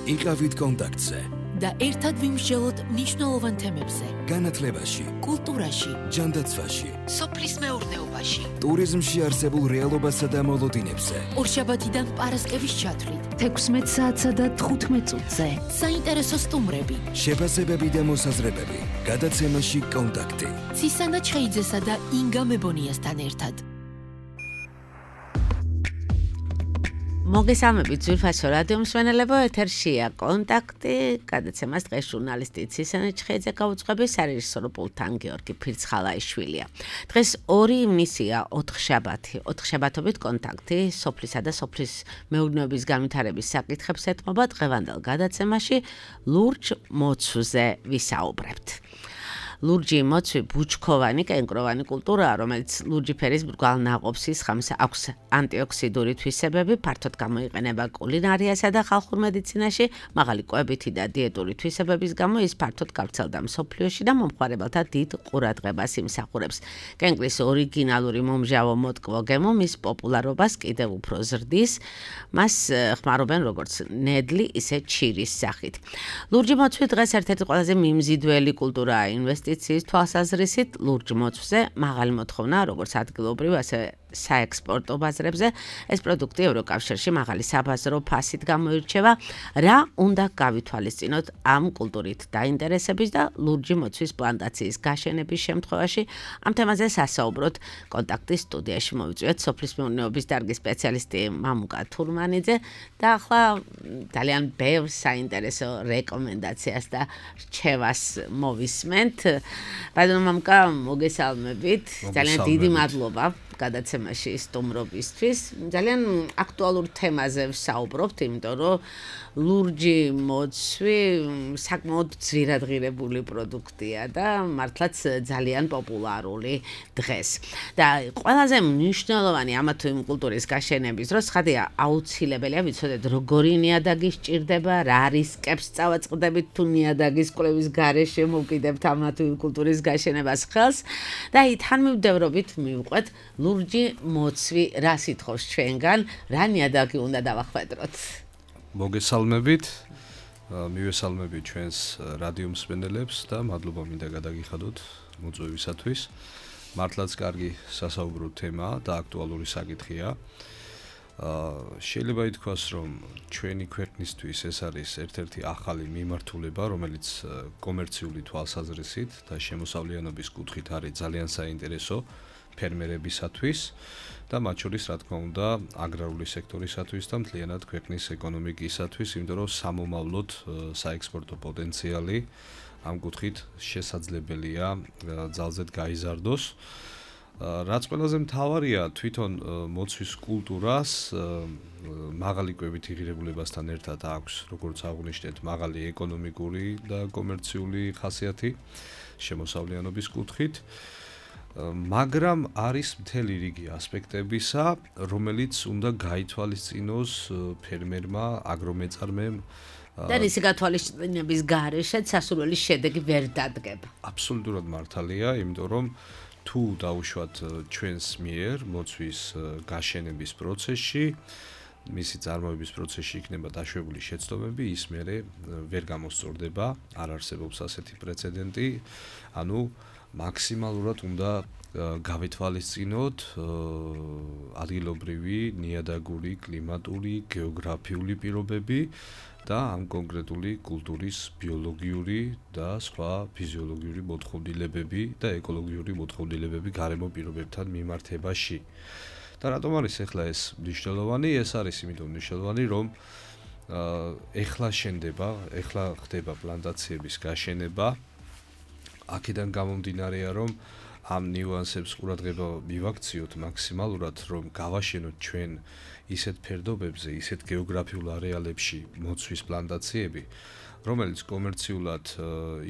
იყავით კონტაქტზე და ერთად ვიმსჯელოთ მნიშვნელოვან თემებზე. განათლებაში, კულტურაში, ჯანდაცვაში, სოფლის მეურნეობაში, ტურიზმში არსებულ რეალობასა და მოლოდინებზე. ორშაბათიდან პარასკევის ჩათვლით, 16 საათსა და 15 წუთზე. საინტერესო სტუმრები, შეფასებები და მოსაზრებები. გადაცემაში კონტაქტი. ცისანა ჩხეიძესა და ინგა მებონიასთან ერთად. მოგესალმებით ძვირფასო რადიო მსმენელებო, ეთერშია კონტაქტი, გადაცემას დღეს ჟურნალისტი ცისანა ჩხეიძე გაუძღვების, სარეჟისორო პულტთან გიორგი ფირცხალაიშვილია. დღეს ორი მისია, 4 შაბათი, 4 შაბათობით კონტაქტი, სოფლისა და სოფლის მეურნეობის განვითარების საკითხებს ეთმობა. დღევანდელ გადაცემაში ლურჯ მოცვზე ვისაუბრებთ. ლურჯი მოცვი ბუჩქოვანი, კენკროვანი კულტურაა, რომელიც ლურჯი ფერის მრგვალ ნაყოფსის ხამს აქვს ანტიოქსიდური თვისებები, ფართოდ გამოიყენება კულინარიასა და ხალხურ მედიცინაში, მაღალი კვებითი და დიეტური თვისებების გამო ის ფართოდ გავრცელდა მსოფლიოში და მომხმარებელთა დიდ ყურადღებას იმსახურებს. კენკრის ორიგინალური მომჟავო მოტკბო გემო მის პოპულარობას კიდევ უფრო ზრდის, მას ხმარობენ როგორც ნედლი, ისე ჩირის სახით. ლურჯი მოცვი დღეს ერთ-ერთი ყველაზე მიმზიდველი კულტურაა ინვესტიციის თვალსაზრისით. ლურჯ მოცვზე მაღალი მოთხოვნა როგორც ადგილობრივ, ასევე საექსპორტო ბაზრებზე. ეს პროდუქტი ევროკავშირში მაღალი საბაზრო ფასით გამოირჩევა. რა უნდა გავითვალისწინოთ ამ კულტურით დაინტერესების და ლურჯი მოცვის პლანტაციის გაშენების შემთხვევაში? ამ თემაზე სასაუბროთ კონტაქტის სტუდიაში მოვიწვიეთ სოფლის მეურნეობის დარგის სპეციალისტი მამუკა თურმანიძე და ახლა ძალიან ბევრ საინტერესო რეკომენდაციას და რჩევას მოვისმენთ. ბატონო მამუკა, მოგესალმებით. ძალიან დიდი მადლობა გადაცემაში სტუმრობისთვის. ძალიან აქტუალურ თემაზე ვსაუბრობთ, იმიტომ რომ ლურჯი მოცვი საკმაოდ ძვირადღირებული პროდუქტია და მართლაც ძალიან პოპულარული დღეს. და ყველაზე მნიშვნელოვანი ამა თუ იმ კულტურის გაშენების დროს ხადია აუცილებელია ვიცოდეთ როგორი ნიადაგი სჭირდება, რა რისკებს წავაწყდებით თუ ნიადაგის კვლევის გარეშე მოვკიდებთ ამა თუ იმ კულტურის გაშენებას ხელს და თან მივდევრობით მივყვეთ ლურჯი მოცვი რა სიტყავს ჩვენგან, რა ნიადაგი უნდა დავახვედროთ? მოგესალმებით, მივესალმებით ჩვენს რადიო მსმენელებს და მადლობა მინდა გადაგიხადოთ მოწვევისათვის. მართლაც კარგი სასაუბრო თემაა და აქტუალური საკითხია. შეიძლება ითქვას, რომ ჩვენი ქვეყნისთვის ეს არის ერთ-ერთი ახალი მიმართულება, რომელიც კომერციული თვალსაზრისით და შემოსავლიანობის კუთხით არის ძალიან საინტერესო ფერმერებისათვის და მათ შორის, რა თქმა უნდა, აგრარული სექტორისათვის და მთლიანად ქვეყნის ეკონომიკისათვის, იმიტომ რომ სამომავლოდ საექსპორტო პოტენციალი ამ კუთხით შესაძლებელია ძალზედ გაიზარდოს. რაც ყველაზე მთავარია, თვითონ მოცვის კულტურას მაღალი კვებითი ღირებულებასთან ერთად აქვს, როგორც აღვნიშნეთ, მაღალი ეკონომიკური და კომერციული ხასიათი შემოსავლიანობის კუთხით. მაგრამ არის მთელი რიგი ასპექტებისა, რომელიც უნდა გაითვალისწინოს ფერმერმა, აგრომეწარმემ და რისი გათვალისწინების გარეშეც სასურველი შედეგი ვერ დადგება. აბსოლუტურად მართალია, იმიტომ რომ თუ დაუშვათ ჩვენს მიერ მოცვის გაშენების პროცესში, მისი წარმოების პროცესში იქნება დაშვებული შეცდომები, ის მერე ვერ გამოსწორდება, არ არსებობს ასეთი პრეცედენტი, ანუ მაქსიმალურად უნდა გავითვალისწინოთ ადგილობრივი, ნიადაგური, კლიმატური, გეოგრაფიული პირობები და ამ კონკრეტული კულტურის ბიოლოგიური და სხვა ფიზიოლოგიური მოთხოვნილებები და ეკოლოგიური მოთხოვნილებები გარემო პირობებთან მიმართებაში. და რატომ არის ახლა ეს მნიშვნელოვანი? ეს არის იმიტომ მნიშვნელოვანი, რომ ახლა ხდება პლანტაციების გაშენება. აქედან გამომდინარეა, რომ ამ ნიუანსებს ყურადღება მივაქციოთ მაქსიმალურად, რომ გავაშენოთ ჩვენ ისეთ ფერდობებზე, ისეთ გეოგრაფიულ არეალებში მოცვის პლანტაციები, რომელიც კომერციულად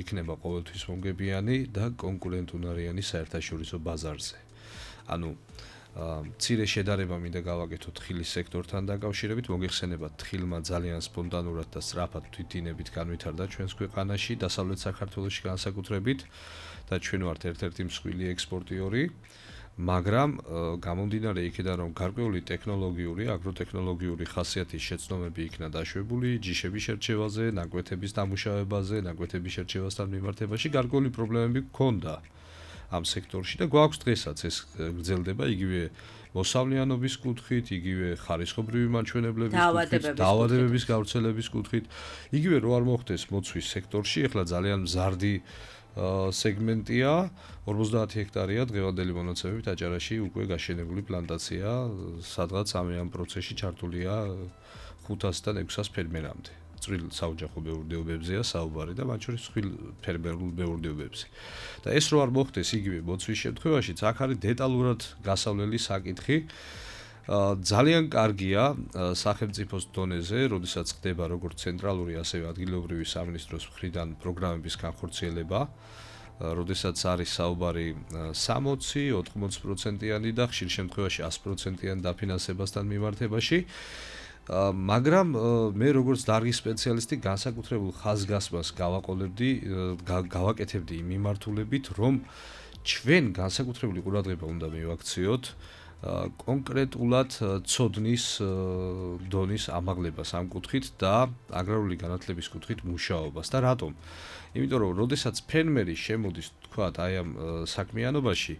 იქნება ყოველთვის მომგებიანი და კონკურენტუნარიანი საერთაშორისო ბაზარზე. ანუ მცირე შედარება მინდა გავაკეთოთ თხილის სექტორთან დაკავშირებით. მოგეხსენებათ, თხილმა ძალიან სპონტანურად და სწრაფად თვითინებით განვითარდა ჩვენს ქვეყანაში, დასავლეთ საქართველოში განსაკუთრებით და ჩვენ ვართ ერთ-ერთი მსხვილი ექსპორტიორი. მაგრამ გამომდინარე იქიდან რომ გარკვეული ტექნოლოგიური, აგროტექნოლოგიური ხასიათის შეცდომები იქნა დაშვებული ჯიშების შერჩევაზე, ნაკვეთების დამუშავებაზე, ნაკვეთების შერჩევასთან მიმართებაში გარკვეული პრობლემები გქონდა ამ სექტორში და გვაქვს დღესაც ეს გრძელდება იგივე მოსავლიანობის კუთხით, იგივე ხარისხობრივი მაჩვენებლების კუთხით, დაავადებების გავრცელების კუთხით, იგივე რო არ მოხდეს მოცვის სექტორში, ეხლა ძალიან მზარდი სეგმენტია 50 ჰექტარია დღევანდელი მონაცემებით აჭარაში უკვე გაშენებული პლანტაცია, სადღაც ამ პროცესში ჩართულია 500-დან 600 ფერმერამდე. წვრილ საოჯახო მეურნეობებზეა საუბარი და მათ შორის ხილ ფერმერულ მეურნეობებზე. და ეს რო არ მოხდეს იგივე მოცვის შემთხვევაშიც აქ არის დეტალურად გასავლელი საკითხი. ძალიან კარგია სახელმწიფოს დონეზე, როდესაც ხდება როგორც ცენტრალური, ასევე ადგილობრივი სამინისტროს მხრიდან პროგრამების განხორციელება, როდესაც არის საუბარი 60-80%-იანი და ხშირ შემთხვევაში 100%-იან დაფინანსებასთან მიმართებაში. მაგრამ მე როგორც დარგის სპეციალისტი განსაკუთრებულ ხაზგასმას გავაკეთებდი იმ მიმართულებით, რომ ჩვენ განსაკუთრებული ყურადღება უნდა მივაქციოთ კონკრეტულად ცოდნის დონის ამაღლებას ამ კუთხით და აგრარული განათლების კუთხით მუშაობას და რატომ? იმიტომ რომ როდესაც ფერმერი შემოდის თქვათ აი ამ საქმიანობაში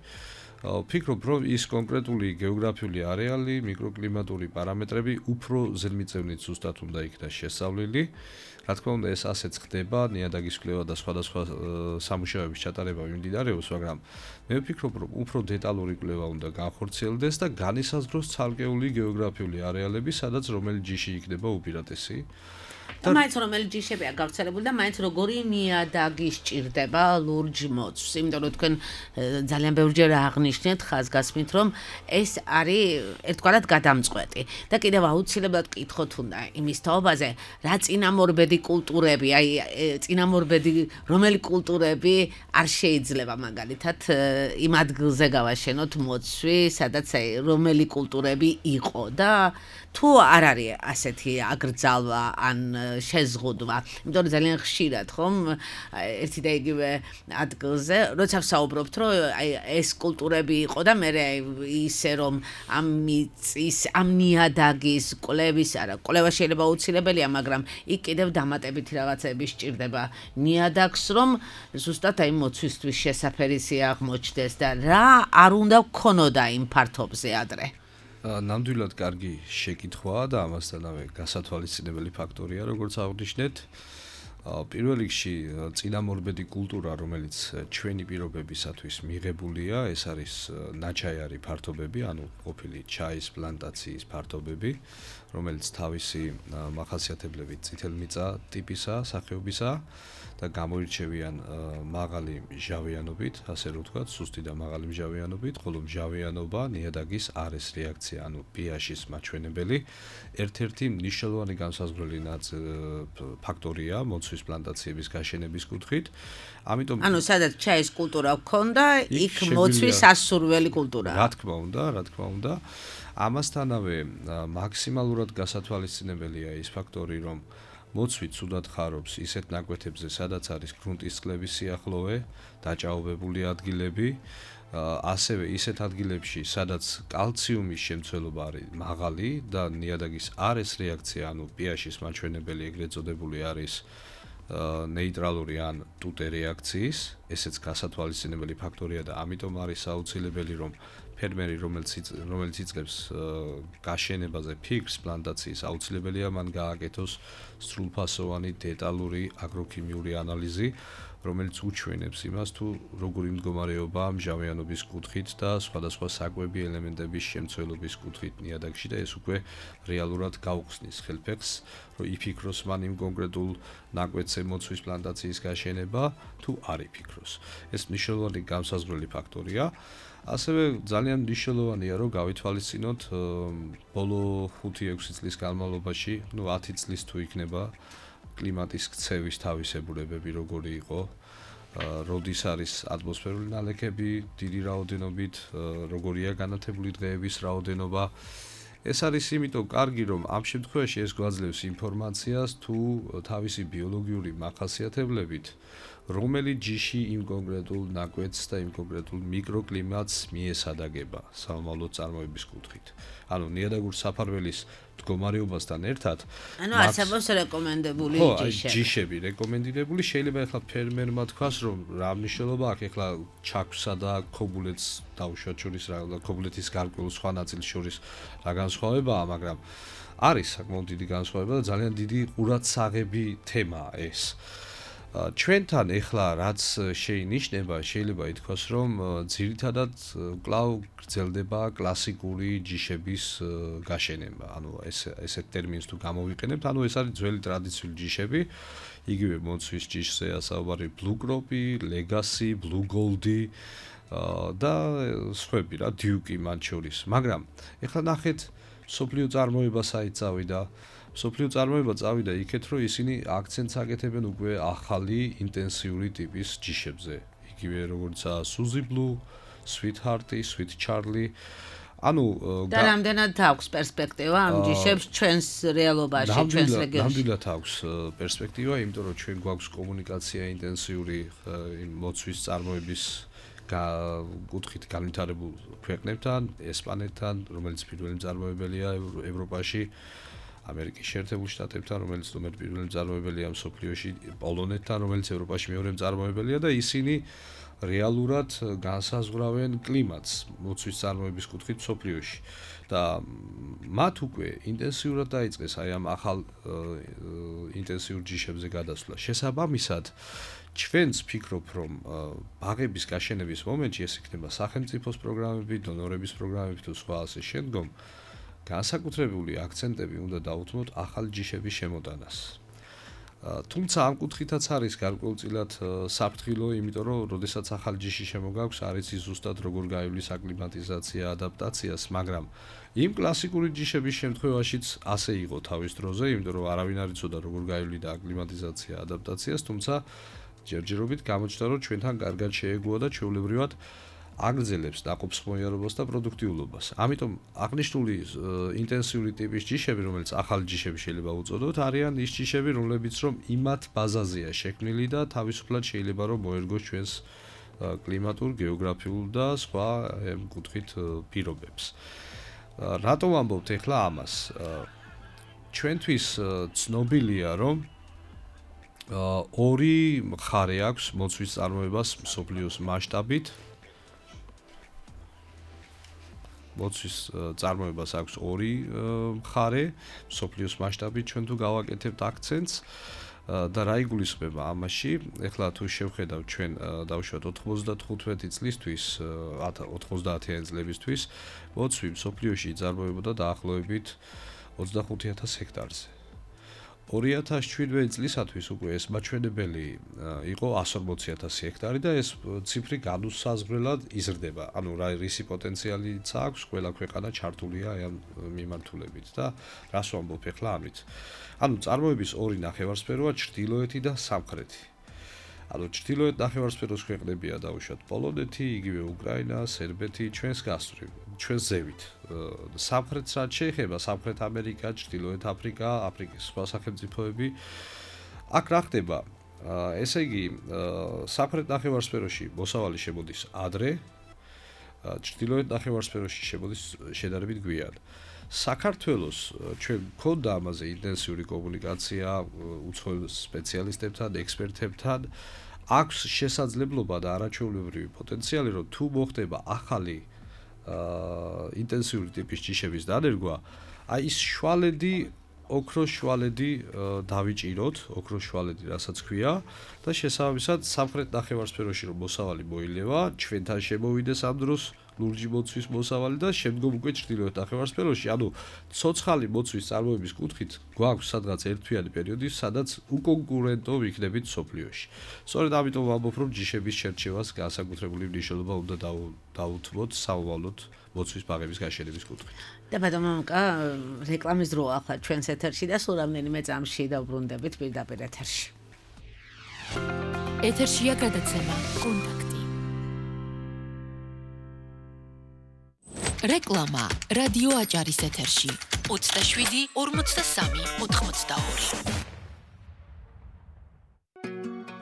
ვფიქრობ, რომ ის კონკრეტული გეოგრაფიული არეალი, მიკროკლიმატური პარამეტრები უფრო ზედმიწევნით ზუსტად უნდა იქნას შესწავლილი. Რა თქმა უნდა, ეს ასეც ხდება, ნიადაგის კვლევა და სხვადასხვა სამუშაოების ჩატარება მიმდინარეობს, მაგრამ მე ვფიქრობ, რომ უფრო დეტალური კვლევა უნდა განხორციელდეს და განისაზღვროს ცალკეული გეოგრაფიული არეალები, სადაც რომელი ჯიში იქნება უპირატესი. და მაინც რომელი ჯიშებია გავრცელებული და მაინც როგორი ნიადაგი სჭირდება ლურჯ მოცვს, იმიტომ რომ თქვენ ძალიან ბევრჯერ აღნიშნეთ ხაზგასმით, რომ ეს არის ერთგვარად გადამწყვეტი და კიდევ აუცილებლად კითხოთ უნდა იმის თაობაზე, რა წინამორბედი კულტურები, აი წინამორბედი რომელი კულტურები არ შეიძლება მაგალითად იმ ადგილზე გავაშენოთ მოცვი, სადაც აი რომელი კულტურები იყო და თუ არ არის ასეთი აგრძალვა ან შეზღუდვა, იმიტომ რომ ძალიან ხშირად ხომ ერთი და იგივე ადგილზე, როცა ვსაუბრობთ, რომ აი ეს კულტურები იყო და მე ისე რომ ამ ნიადაგის კვლევის არა, კვლევა შეიძლება აუცილებელია, მაგრამ იქ კიდევ დამატებითი რაღაცები სჭირდება ნიადაგს, რომ ზუსტად აი მოცვისთვის შესაფერისი აღმოჩნდეს და რა არ უნდა გქონოდა იმ ფართობზე ადრე. ნამდვილად კარგი შეკითხვაა და ამასთანავე გასათვალისწინებელი ფაქტორია, როგორც აღნიშნეთ. პირველ რიგში წინამორბედი კულტურა, რომელიც ჩვენი პირობებისათვის მიღებულია, ეს არის ნაჩაიარი ფართობები, ანუ ყოფილი ჩაის პლანტაციის ფართობები, რომელიც თავისი მახასიათებლებით წითელმიწა ტიპისა, სახეობისა და გამოირჩევიან მაღალი მჟავიანობით, ასე რომ ვთქვათ, სუსტი და მაღალი მჟავიანობით, ხოლო მჟავიანობა ნიადაგის არეს რეაქცია, ანუ pH-ის მაჩვენებელი, ერთ-ერთი მნიშვნელოვანი განსაზღვრელი ფაქტორია მოცვის პლანტაციების გაშენების კუთხით. ამიტომ ანუ სადაც ჩაის კულტურა გქონდა, იქ მოცვის სასურველი კულტურაა. რა თქმა უნდა. ამასთანავე მაქსიმალურად გასათვალისწინებელია ის ფაქტორი, რომ მოცვი ცუდად ხარობს ისეთ ნაკვეთებზე, სადაც არის გრუნტის წყლების სიახლოვე, დაჭაობებული ადგილები, ასევე ისეთ ადგილებში, სადაც კალციუმის შემცველობა არის მაღალი და ნიადაგის არეს რეაქცია, ანუ pH-ის მაჩვენებელი ეგრეთ წოდებული არის ნეიტრალური ან ტუტე რეაქციის, ესეც გასათვალისწინებელი ფაქტორია და ამიტომ არის აუცილებელი, რომ ფერმერი, რომელიც იწყებს გაშენებაზე ფიქრს პლანტაციის, აუცილებელია მან გააკეთოს სრულფასოვანი დეტალური აგროქიმიური ანალიზი, რომელიც უჩვენებს იმას, თუ როგორი მდგომარეობაა მჟავიანობის კუთხით და სხვადასხვა საკვები ელემენტების შემცველობის კუთხით ნიადაგში და ეს უკვე რეალურად გაუხსნის ხელფეხს, რომ იფიქროს მან იმ კონკრეტულ ნაკვეთზე მოცვის პლანტაციის გაშენება, თუ არ იფიქროს. ეს მნიშვნელოვანი განსაზღვრელი ფაქტორია. ასევე ძალიან მნიშვნელოვანია, რომ გავითვალისწინოთ ბოლო 5-6 წლის განმავლობაში, 10 წლის თუ იქნება კლიმატის ქცევის თავისებურებები როგორი იყო, როდის არის ატმოსფერული ნალექები დიდი რაოდენობით, როგორია განათებული დღეების რაოდენობა. ეს არის იმიტომ კარგი, რომ ამ შემთხვევაში ეს გვაძლევს ინფორმაციას თუ თავისი ბიოლოგიური მახასიათებლებით რომელი ჯიში იმ კონკრეტულ ნაკვეთს და იმ კონკრეტულ მიკროკლიმატს მიესადაგება სამომავლო წარმოების კუთხით. ანუ ნიადაგურ საფარველის მდგომარეობასთან ერთად ანუ არსებობს რეკომენდებული ჯიშები რეკომენდირებული შეიძლება ახლა ფერმერმა თქვას რომ რა მნიშვნელობა აქვს ახლა ჩაქვსა და ქობულეთს დაუშვათ შორის რა ქობულეთის გარკვეულ სხვა ნაწილს შორის რა განსხვავებაა მაგრამ არის საკმაოდ დიდი განსხვავება და ძალიან დიდი ყურადსაღები თემაა ეს ჩვენთან ეხლა რაც შეინიშნება შეიძლება ითქვას რომ ძირითადად კვლავ გრძელდება კლასიკური ჯიშების გაშენება ანუ ესეთ ტერმინს თუ გამოვიყენებთ ანუ ეს არის ძველი ტრადიციული ჯიშები იგივე მოცვის ჯიშზეა საუბარი blue crop-ი, legacy, blue gold-ი და სხვები რა duke-ი მათ შორის მაგრამ ეხლა ნახეთ სოფლიო წარმოება საით წავიდა სოფლიო წარმოება წავიდა იქეთ რომ ისინი აქცენტს აკეთებენ უკვე ახალი ინტენსიური ტიპის ჯიშებზე იგივე როგორიცაა Suzy Blue, Sweetheart-ი, Sweet Charlie ანუ და რამდენად აქვს პერსპექტივა ამ ჯიშებს ჩვენს რეალობაში ჩვენს რეგიონში ნამდვილად აქვს პერსპექტივა იმიტომ რომ ჩვენ გვაქვს კომუნიკაცია ინტენსიური მოცვის წარმოების კუთხით განვითარებულ ქვეყნებთან ესპანეთთან რომელიც პირველი მწარმოებელია ევროპაში ამერიკის შეერთებულ შტატებთან, რომელიც პირველი მწარმოებელია მსოფლიოში, პოლონეთთან, რომელიც ევროპაში მეორე მწარმოებელია და ისინი რეალურად განსაზღვრავენ კლიმატს მოცვის წარმოების კუთხით მსოფლიოში. და მათ უკვე ინტენსიურად დაიწყეს აი ამ ახალ ინტენსიურ ჯიშებზე გადასვლა. შესაბამისად, ჩვენც ვფიქრობ, რომ ბაღების გაშენების მომენტში ეს იქნება სახელმწიფოს პროგრამები, დონორების პროგრამები თუ სხვა ასე შემდგომ განსაკუთრებული აქცენტები უნდა დაუთმოთ ახალ ჯიშების შემოტანას. თუმცა ამ კუთხითაც არის გარკვეულწილად საფრთხილო, იმიტომ რომ როდესაც ახალ ჯიში შემოგაქვს, არის ის ზუსტად როგორ გაივლის აკლიმატიზაცია, ადაპტაციას, მაგრამ იმ კლასიკური ჯიშების შემთხვევაშიც ასე იყო თავის დროზე, იმიტომ რომ არავინ არ იცოდა როგორ გაივლიდა აკლიმატიზაცია, ადაპტაციას, თუმცა ჯერჯერობით გამოჩნდა, რომ ჩვენთან კარგად შეეგუა და ჩვეულებრივად აგრძელებს ნაყოფსხმოიარობას და პროდუქტიულობას. ამიტომ აღნიშნული ინტენსიური ტიპის ჯიშები, რომელიც ახალი ჯიშები შეიძლება უწოდოთ, არიან ის ჯიშები, რომლებიც რომ იმათ ბაზაზეა შექმნილი და თავისუფლად შეიძლება რომ მოერგოს ჩვენს კლიმატურ, გეოგრაფიულ და სხვა კუთხით პირობებს. რატომ ამბობთ ახლა ამას? ჩვენთვის ცნობილია, რომ ორი მხარე აქვს მოცვის წარმოებას მსოფლიოს მასშტაბით. მოცვის წარმოებას აქვს ორი მხარე მსოფლიოს მასშტაბით ჩვენ თუ გავაკეთებთ აქცენტს და რა იგულისხმება ამაში ეხლა თუ შევხედავთ ჩვენ დავუშვათ 95 წლისთვის 90-იანი წლებისთვის მოცვი მსოფლიოში იწარმოებოდა დაახლოებით 25000 ჰექტარზე 2017 წლისათვის უკვე ეს მაჩვენებელი იყო 140000 ჰექტარი და ეს ციფრი განუსაზღვრელად იზრდება. ანუ რისი პოტენციალიც აქვს, ყველა ქვეყანა ჩართულია აი ამ მიმართულებით და რას ვამბობ ახლა ამით. ანუ წარმოების ორი ნახევარსფეროა ჩრდილოეთი და სამხრეთი. ანუ ჩრდილოეთ ნახევარსფეროს ქვეყნებია დავუშვათ პოლონეთი, იგივე უკრაინა, სერბეთი, ჩვენს გასწვრივ, ჩვენს ზევით. სამხრეთს რაც შეეხება, სამხრეთ ამერიკა, ჩრდილოეთ აფრიკა, აფრიკის სხვა სახელმწიფოები. აქ რა ხდება? ესე იგი, სამხრეთ ნახევარსფეროში მოსავალი შემოდის ადრე, ჩრდილოეთ ნახევარსფეროში შემოდის შედარებით გვიან. საქართველოს ჩვენ გვქონდა ამაზე ინტენსიური კომუნიკაცია უცხოელ სპეციალისტებთან, ექსპერტებთან. აქვს შესაძლებლობა და არაჩვეულებრივი პოტენციალი, რომ თუ მოხდება ახალი ინტენსიური ტიპის ჯიშების დანერგვა, აი ის შვალედი, ოქროს შვალედი დავიჭიროთ, ოქროს შვალედი, რასაც ქვია და შესაბამისად სამხრეთ ნახევარსფეროში რომ მოსავალი მოილევა, ჩვენთან შემოვიდეს ამ დროს ლურჯი მოცვის მოსავალი და შემდგომ უკვე ჩრდილოეთ ნახევარსფეროში, ანუ ცოცხალი მოცვის წარმოების კუთხით გვაქვს სადღაც ერთთვიანი პერიოდი, სადაც უკონკურენტო ვიქნებით სოფლიოში. სწორედ ამიტომ ვამბობ, რომ ჯიშების შერჩევას განსაკუთრებული მნიშვნელობა უნდა დაუთმოთ საომავლოდ მოცვის ბაღების გაშენების კუთხით. და ბატონო მამუკა, რეკლამის დროა ახლა ჩვენს ეთერში და სულ რამდენიმე წამში დავბრუნდებით პირდაპირ ეთერში. ეთერშია გადაცემა კონტაქტი. რეკლამა რადიო აჭარის ეთერში 27 43 82.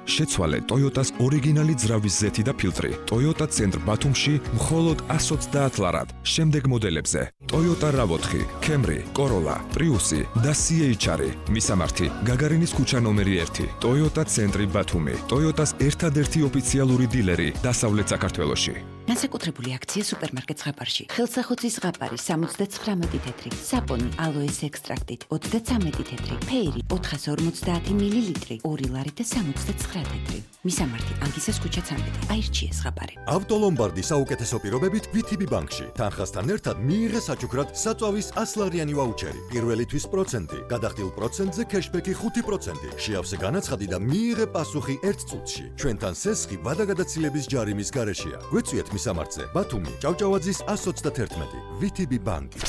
შეცვალე Toyota-ს ორიგინალი ძრავის ზეთი და ფილტრი. Toyota ცენტრ ბათუმში მხოლოდ 130 ლარად. შემდეგ მოდელებზე Toyota RAV4, Camry, Corolla, Prius და CHR-ი. მისამართი გაგარინის ქუჩა ნომერი 1. Toyota ცენტრი ბათუმი. Toyota-ს ერთადერთი ოფიციალური დილერი დასავლეთ საქართველოში. განსაკუთრებული აქცია სუპერმარკეტ ზღაპარში. ხელსახოცის ზღაპარი 79 თეთრი, საპონი ალოეს ექსტრაქტით 33 თეთრი, ფეირი 450 მილილიტრი, 2 ლარი და 69 თეთრი. მისამართი ანგისას ქუჩა 13. აირჩიე ზღაპარი. ავტოლომბარდი საუკეთესო პირობებით VTB ბანკში. თანხასთან ერთად მიიღე საჩუქრად საწვავის 100 ლარიანი ვაუჩერი. პირველი თვის პროცენტი, გადახდილ პროცენტზე кэშბექი 5%. შეავსე განაცხადი და მიიღე პასუხი 1 წუთში. ჩვენთან სესხი ვადაგადაცილების ჯარიმის გარეშეა. გვეწვიეთ მისამართზე. ბათუმი, ჭავჭავაძის 131. VTB ბანკი.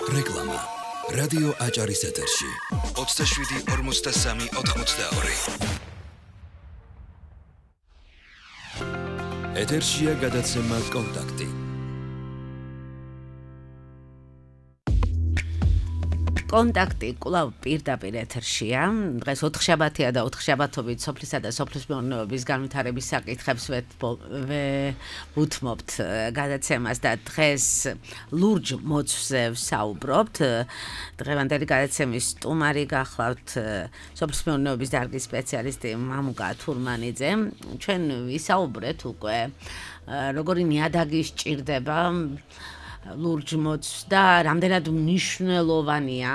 რეკლამა. რადიო აჭარის ეთერში. 27-43-82. ეთერშია გადაცემა კონტაქტი. კონტაქტი კვლავ პირდაპირ ეთერშია. დღეს 4 შაბათია და 4 შაბათობით სოფლისა და სოფლის მეურნეობის განვითარების საკითხებს ვუთმობთ გადაცემას და დღეს ლურჯ მოცვზე ვსაუბრობთ. დღევანდელი გადაცემის სტუმარი გახლავთ სოფლის მეურნეობის დარგის სპეციალისტი მამუკა თურმანიძე. ჩვენ ვისაუბრეთ უკვე როგორი ნიადაგი სჭირდება ლურჯ მოცვს და რამდენად მნიშვნელოვანია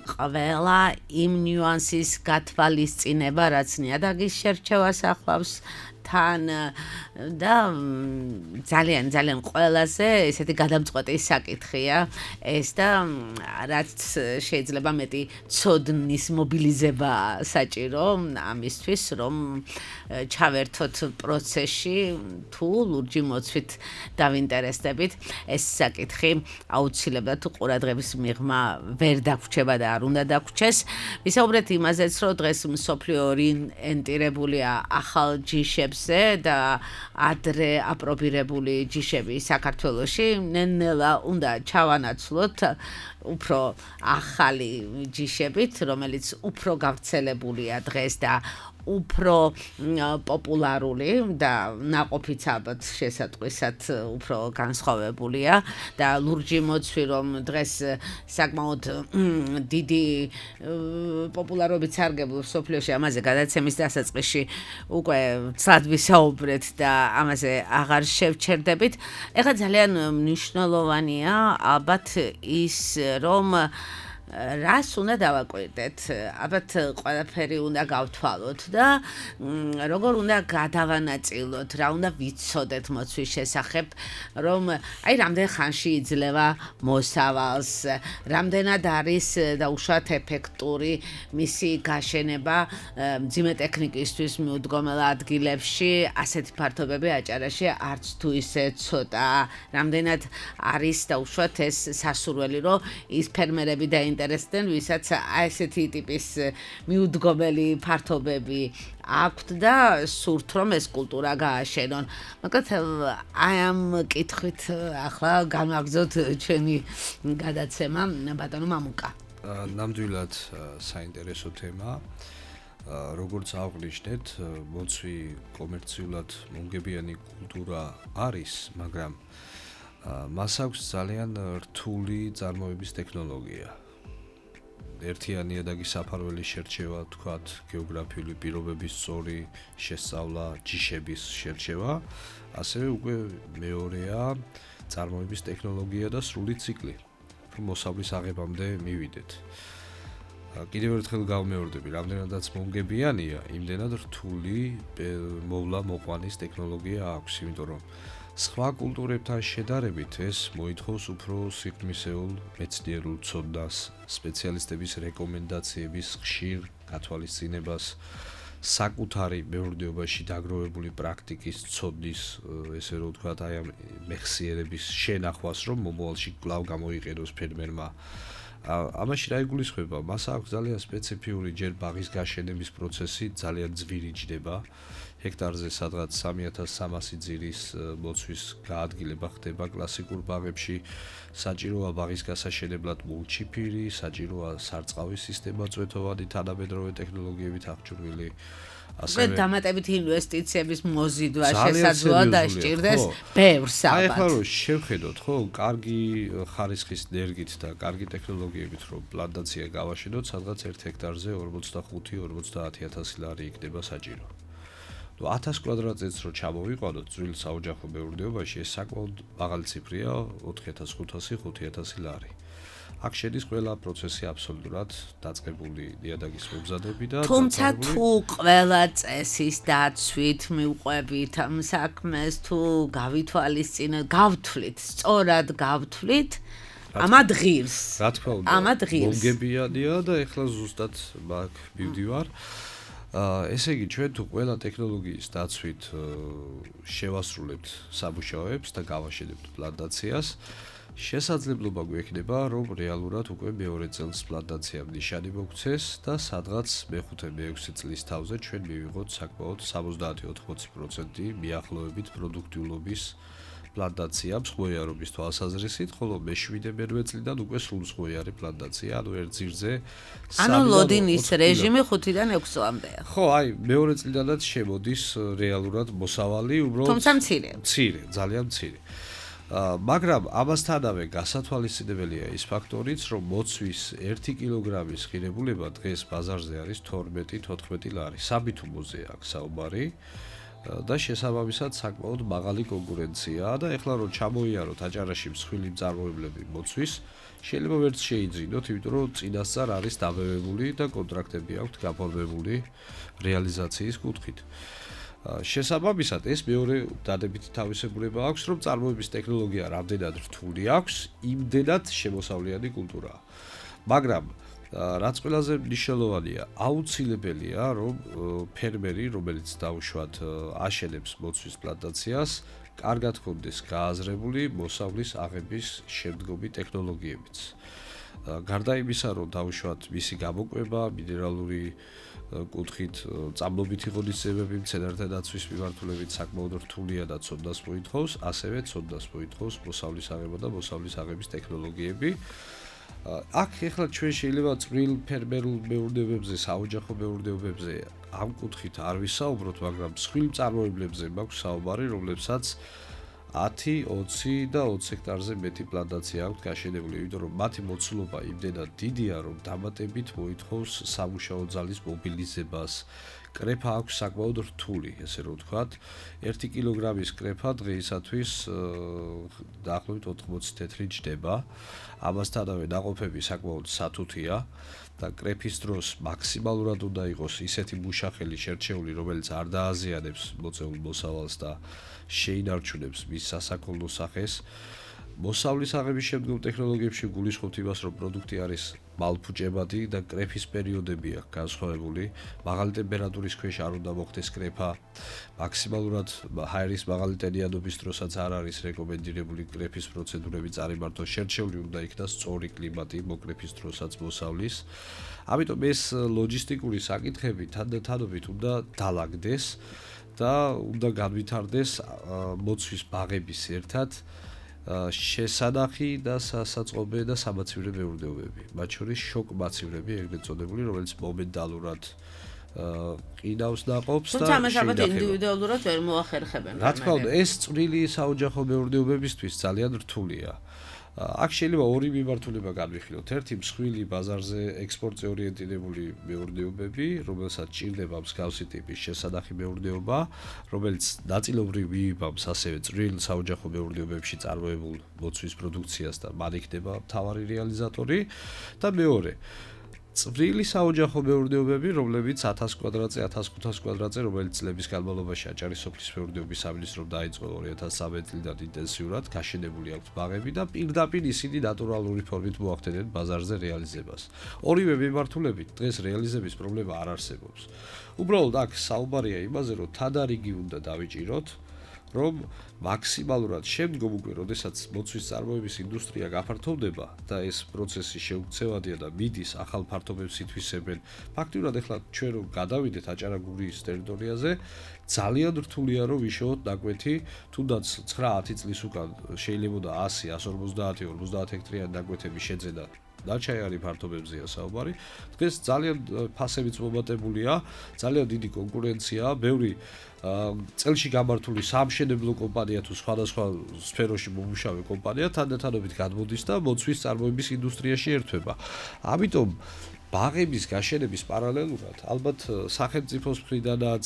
ყველა იმ ნიუანსის გათვალისწინება, რაც ნიადაგის შერჩევას ახლავს თან და ძალიან ყველაზე ესეთი გადამწყვეტი საკითხია ეს და რაც შეიძლება მეტი ცოდნის მობილიზება საჭირო ამისთვის რომ ჩავერთოთ პროცესში თუ ლურჯი მოცვით დავინტერესდებით ეს საკითხი აუცილებლად ყურადღების მიღმა ვერ დაგვრჩება და არ უნდა დაგვრჩეს. ვისაუბრეთ იმაზეც რომ დღეს მსოფლიო ორიენტირებულია ახალ ჯიშებს და ადრე აპრობირებული ჯიშები საქართველოში ნელ-ნელა უნდა ჩავანაცვლოთ უფრო ახალი ჯიშებით, რომელიც უფრო გავრცელებულია დღეს და უფრო პოპულარული და ნაყოფიც ალბათ შესატყვისად უფრო განსხვავებულია და ლურჯი მოცვი რომ დღეს საკმაოდ დიდი პოპულარობით სარგებლობს სოფლიოში ამაზე გადაცემის დასაწყისში უკვე ცალად ვისაუბრეთ და ამაზე აღარ შევჩერდებით. ეხლა ძალიან მნიშვნელოვანია ალბათ ის რომ რას უნდა დავაკვირდეთ, ალბათ ყველაფერი უნდა გავთვალოთ და როგორ უნდა გადავანაწილოთ, რა უნდა ვიცოდეთ მოცვის შესახებ, რომ აი რამდენ ხანში იძლევა მოსავალს, რამდენად არის დაუშვათ ეფექტური მისი გაშენება მძიმე ტექნიკისთვის მიუდგომელ ადგილებში, ასეთი ფართობები აჭარაში არც თუ ისე ცოტა, რამდენად არის დაუშვათ ეს სასურველი, რომ ის ფერმერები და ინტერესდნენ, ვისაც ასეთი ტიპის მიუდგომელი ფართობები აქვთ და სურთ რომ ეს კულტურა გააშენონ. მაგრამ აი ამ კითხვით ახლა განვაგრძოთ ჩვენი გადაცემა ბატონო მამუკა. ნამდვილად საინტერესო თემა. როგორც აღვნიშნეთ, მოცვი კომერციულად მომგებიანი კულტურა არის, მაგრამ მას აქვს ძალიან რთული წარმოების ტექნოლოგია. ერთიანი ნიადაგის საფარველის შერჩევა, თქვათ, გეოგრაფიული პირობების სწორი შესწავლა, ჯიშების შერჩევა, ასევე უკვე მეორეა წარმოების ტექნოლოგია და სრული ციკლი, რომ მოსავლის აღებამდე მივიდეთ. კიდევ ერთხელ გავმეორდები, რამდენადაც მომგებიანია, იმდენად რთული მოვლა-მოყვანის ტექნოლოგია აქვს, იმიტომ რომ სხვა კულტურებთან შედარებით ეს მოითხოვს უფრო სიღრმისეულ მეცნიერულ ცოდნას, სპეციალისტების რეკომენდაციების ხშირ გათვალისწინებას, საკუთარი მეურნეობაში დაგროვებული პრაქტიკის ცოდნის, ესე რომ ვთქვათ, აი ამ მეხსიერების შენახვას, რომ მომავალში კვლავ გამოიყენოს ფერმერმა. ამაში რა იგულისხმება? მას აქვს ძალიან სპეციფიური ჯერ ბაღის გაშენების პროცესი ძალიან ძვირი ჯდება. ჰექტარზე სადღაც 3300 ძირის მოცვის გაადგილება ხდება კლასიკურ ბაღებში. საჭიროა ბაღის გასაშენებლად მულჩიფირი, საჭიროა სარწყავის სისტემა წვეთოვანი თანამედროვე ტექნოლოგიებით აღჭურვილი. ასევე დამატებით ინვესტიციების მოზიდვა შესაძლოა დასჭირდეს ბევრს ალბათ. აი ახლა რომ შევხედოთ, ხო, კარგი ხარისხის ნერგით და კარგი ტექნოლოგიებით რომ პლანტაცია გავაშენოთ, სადღაც 1 ჰექტარზე 45-50000 ლარი იქნება საჭირო. 1000 კვადრატმეტრს რო ჩამოვიყვანოთ ძველ საოჯახო მეურნეობაში, ეს საკმაოდ მაღალი ციფრია, 4500-5000 ლარი. აქ შედის ყველა პროცესი აბსოლუტურად დაწყებული ნიადაგის მომზადები და თუმცა თუ ყველა წესის დაცვით მივყვებით ამ საქმეს, თუ გავითვალისწინებთ, გავთვლით, სწორად გავთვლით, ამად ღირს. რა თქმა უნდა, ამად ღირს. მომგებიანია და ეხლა ზუსტად მაგ მივდივარ. ესე იგი, ჩვენ თუ ყველა ტექნოლოგიის დაცვით შევასრულებთ სამუშაოებს და გავაშენებთ პლანტაციას, შესაძლებლობა გვექნება, რომ რეალურად უკვე მეორე წელს პლანტაციამ ნიშანი მოგვცეს და სადღაც მე-5-მე-6 წლის თავზე ჩვენ მივიღოთ საკმაოდ 70-80% მიახლოებით პროდუქტიულობის პლანტაცია მსხმოიარობის თვალსაზრისით, ხოლო მე-7-მე წლიდან უკვე სრულსხმოიარი პლანტაცია, ანუ ერთ ძირზე ანუ ლოდინის რეჟიმი 5-დან 6 წლამდეა. ხო, აი, მეორე წლიდანაც შემოდის რეალურად მოსავალი, უბრალოდ თუმცა მცირე, ძალიან მცირე. მაგრამ ამასთანავე გასათვალისწინებელია ის ფაქტორიც, რომ მოცვის 1 კილოგრამის ღირებულება დღეს ბაზარზე არის 12-14 ლარი. საბითუმოზე აქვს საუბარი და შესაბამისად საკმაოდ მაღალი კონკურენციაა და ეხლა რომ ჩამოიაროთ აჭარაში მსხვილი მწარმოებლები მოცვის, შეიძლება ვერც შეიძინოთ, იმიტომ რომ წინასწარ არის დაბევებული და კონტრაქტები აქვთ გაფორმებული რეალიზაციის კუთხით. შესაბამისად ეს მეორე დადებითი თავისებურება აქვს, რომ წარმოების ტექნოლოგია რამდენად რთული აქვს, იმდენად შემოსავლიანი კულტურაა. მაგრამ რაც ყველაზე მნიშვნელოვანია, აუცილებელია, რომ ფერმერი, რომელიც დაუშვათ აშენებს მოცვის პლანტაციას, კარგად ჰქონდეს გააზრებული მოსავლის აღების შემდგომი ტექნოლოგიებიც. გარდა იმისა, რომ დაუშვათ მისი გამოკვება, მინერალური კუთხით წამლობითი ღონისძიებები მცენარეთა დაცვის მიმართულებით საკმაოდ რთულია და ცოდნას მოითხოვს, ასევე ცოდნას მოითხოვს მოსავლის აღება და მოსავლის აღების ტექნოლოგიები. აქ ეხლა ჩვენ შეიძლება წვრილ ფერმერულ მეურნეობებზე, საოჯახო მეურნეობებზე ამ კუთხით არ ვისაუბროთ, მაგრამ მსხვილ მწარმოებლებზე მაქვს საუბარი, რომლებსაც 10, 20 და 20 ჰექტარზე მეტი პლანტაცია აქვს გაშენებული, იმიტომ რომ მათი მოცულობა იმდენად დიდია, რომ დამატებით მოითხოვს სამუშაო ძალის მობილიზებას. კრეფა აქვს საკმაოდ რთული, ესე რომ ვთქვათ, 1 კილოგრამის კრეფა დღეისათვის დაახლოებით 80 თეთრი ჯდება. ამასთანავე ნაყოფები საკმაოდ სათუთია და კრეფის დროს მაქსიმალურად უნდა იყოს ისეთი მუშახელი შერჩეული, რომელიც არ დააზიანებს მოწეულ მოსავალს და შეინარჩუნებს მის სასაქონლო სახეს. მოსავლის აღების შემდგომ ტექნოლოგიებში გულისხმობთ იმას, რომ პროდუქტი არის მალფუჭებადი და კრეფის პერიოდები აქვს განსხვავებული. მაღალი ტემპერატურის ქვეშ არ უნდა მოხდეს კრეფა. მაქსიმალურად ჰაერის მაღალი ტენიანობის დროსაც არ არის რეკომენდირებული კრეფის პროცედურები წარიმართოს. შერჩეული უნდა იქნას სწორი კლიმატი მოკრეფის დროსაც მოსავლის. ამიტომ ეს ლოჯისტიკური საკითხები თანდათანობით უნდა დალაგდეს და უნდა განვითარდეს მოცვის ბაღების ერთად შესანახი და სასაწყობე და სამაცივრე მეურნეობები. მათ შორის შოკმაცივრები, ეგრეთ წოდებული, რომელიც მომენტალურად ყინავს ნაყოფს და თუმცა ამას ალბათ ინდივიდუალურად ვერ მოახერხებენ. რა თქმა უნდა, ეს წვრილი საოჯახო მეურნეობებისთვის ძალიან რთულია. აქ შეიძლება ორი მიმართულება განვიხილოთ. ერთი მსხვილი ბაზარზე ექსპორტზე ორიენტირებული მეურნეობები, რომელსაც ჭირდება მსგავსი ტიპის შესანახი მეურნეობა, რომელიც ნაწილობრივ მიიბამს ასევე წვრილ საოჯახო მეურნეობებში წარმოებულ მოცვის პროდუქციას და მან იქნება მთავარი რეალიზატორი და მეორე წვრილი საოჯახო მეურნეობები, რომლებიც 1000 კვადრატზე, 1500 კვადრატზე, რომელიც წლების განმავლობაში აჭარის სოფლის მეურნეობის სამინისტრომ დაიწყო 2013 წლიდან ინტენსიურად გაშენებული აქვს ბაღები და პირდაპირ ისინი ნატურალური ფორმით მოახდენენ ბაზარზე რეალიზებას. ორივე მიმართულებით დღეს რეალიზების პრობლემა არ არსებობს. უბრალოდ აქ საუბარია იმაზე, რომ თადარიგი უნდა დავიჭიროთ, რომ მაქსიმალურად შემდგომ უკვე, როდესაც მოცვის წარმოების ინდუსტრია გაფართოვდება და ეს პროცესი შეუქცევადია და მიდის ახალ ფართობებს ითვისებენ. ფაქტიურად ახლა ჩვენ რომ გადავიდეთ აჭარა-გურიის ტერიტორიაზე, ძალიან რთულია რომ ვიშოვოთ ნაკვეთი, თუნდაც 9-10 წლის უკან შეიძლებოდა 100, 150, 50 ჰექტარიანი ნაკვეთები შეძენა. დაჩაიარი ფართობებზეა საუბარი. დღეს ძალიან ფასებიც მომატებულია, ძალიან დიდი კონკურენციაა, ბევრი წელში გამართული სამშენებლო კომპანია თუ სხვადასხვა სფეროში მომუშავე კომპანია თანდათანობით გადმოდის და მოცვის წარმოების ინდუსტრიაში ერთვება. ამიტომ ბაღების გაშენების პარალელურად ალბათ სახელმწიფოს მხრიდანაც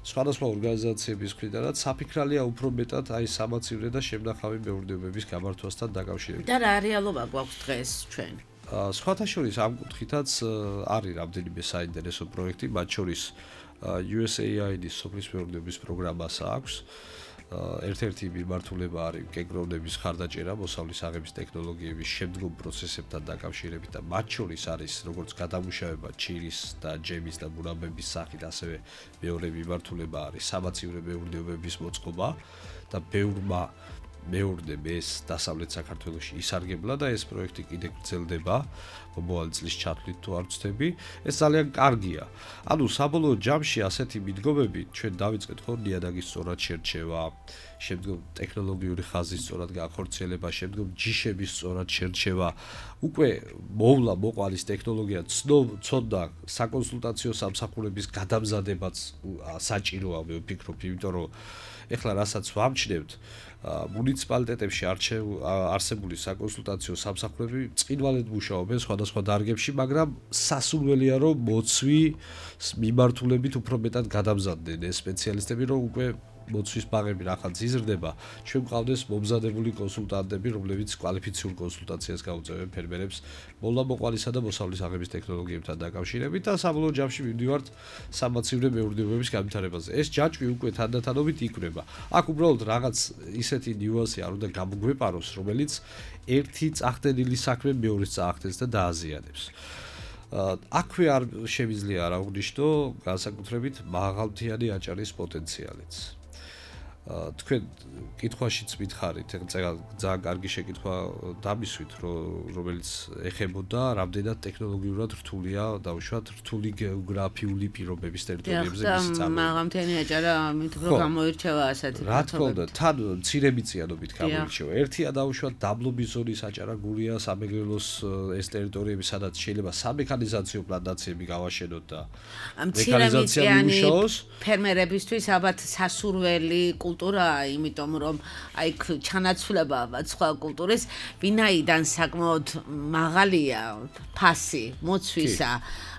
სხვადასხვა ორგანიზაციების მხრიდანაც საფიქრალია უფრო მეტად აი სამაცივრე და შემნახავი მეურნეობების გამართვასთან დაკავშირებით. და რა რეალობა გვაქვს დღეს ჩვენ? სხვათა შორის ამ კუთხითაც არის რამდენიმე საინტერესო პროექტი, მათ შორის USAID-ის სოფლის მეურნეობის პროგრამას აქვს. ერთ-ერთი მიმართულება არის კენკროვნების ხარდაჭერა მოსავლის აღების ტექნოლოგიების შემდგომ პროცესებთან დაკავშირებით და მათ შორის არის როგორც გადამუშავება ჩირის და ჯემის და მურაბების სახით, ასევე მეორე მიმართულება არის სამაცივრე მეურნეობების მოწყობა და ბევრმა მეურნემ ეს დასავლეთ საქართველოში ისარგებლა და ეს პროექტი კიდე გრძელდება მომავალი წლის ჩათვლით თუ არ ვცდები. ეს ძალიან კარგია. ანუ საბოლოო ჯამში ასეთი მიდგომები ჩვენ დავიწყეთ ხო ნიადაგის სწორად შერჩევა, შემდგომ ტექნოლოგიური ხაზის სწორად განხორციელება, შემდგომ ჯიშების სწორად შერჩევა. უკვე მოვლა მოყალის ტექნოლოგია ცოდნა საკონსულტაციო სამსახურების გადამზადებაც საჭიროა, მე ვფიქრობ, იმიტომ რომ ეხლა რასაც ვამჩნევთ მუნიციპალიტეტებში არსებული საკონსულტაციო სამსახურები წინვალედ მუშაობენ სხვადასხვა დარგებში, მაგრამ სასურველია რომ მოცვის მიმართულებით უფრო მეტად გადამზადდნენ ეს სპეციალისტები, რომ უკვე მოცვის ბაღები რახაც იზრდება, ჩვენ გვყავდეს მომზადებული კონსულტანტები, რომლებიც კვალიფიციურ კონსულტაციას გაუწევენ ფერმერებს მოვლა-მოყვალისა და მოსავლის აღების ტექნოლოგიებთან დაკავშირებით და საბოლოო ჯამში მივდივართ სამაცივრე მეურნეობების განვითარებაზე. ეს ჯაჭვი უკვე თანდათანობით იქნება. აქ უბრალოდ რაღაც ისეთი ნიუანსი არ უნდა გამოგვეპაროს, რომელიც ერთი წახდენილი საქმე მეორეს წაახდენს და დააზიანებს. აქვე არ შემიძლია არ აღვნიშნო განსაკუთრებით მაღალმთიანი აჭარის პოტენციალიც. თქვენ კითხვაშიც მითხარით, ძალიან კარგი შეკითხვა დამისვით, რომელიც ეხებოდა რამდენად ტექნოლოგიურად რთულია დაუშვათ რთული გეოგრაფიული პირობების ტერიტორიებზე მისი წარმოება. მაღალმთიანი აჭარა ამით რომ გამოირჩევა ასეთი რა თქმა უნდა, თან მცირებიწიანობით გამოირჩევა. ერთია დაუშვათ დაბლობის ზონის აჭარა-გურია, სამეგრელოს ეს ტერიტორიები, სადაც შეიძლება სამექანიზაციო პლანტაციები გავაშენოთ და მექანიზაცია მიუშაოს. ფერმერებისთვის ალბათ სასურველი კულტურაა, იმიტომ რომ აი ჩანაცვლება სხვა კულტურის ვინაიდან საკმაოდ მაღალია ფასი მოცვისა.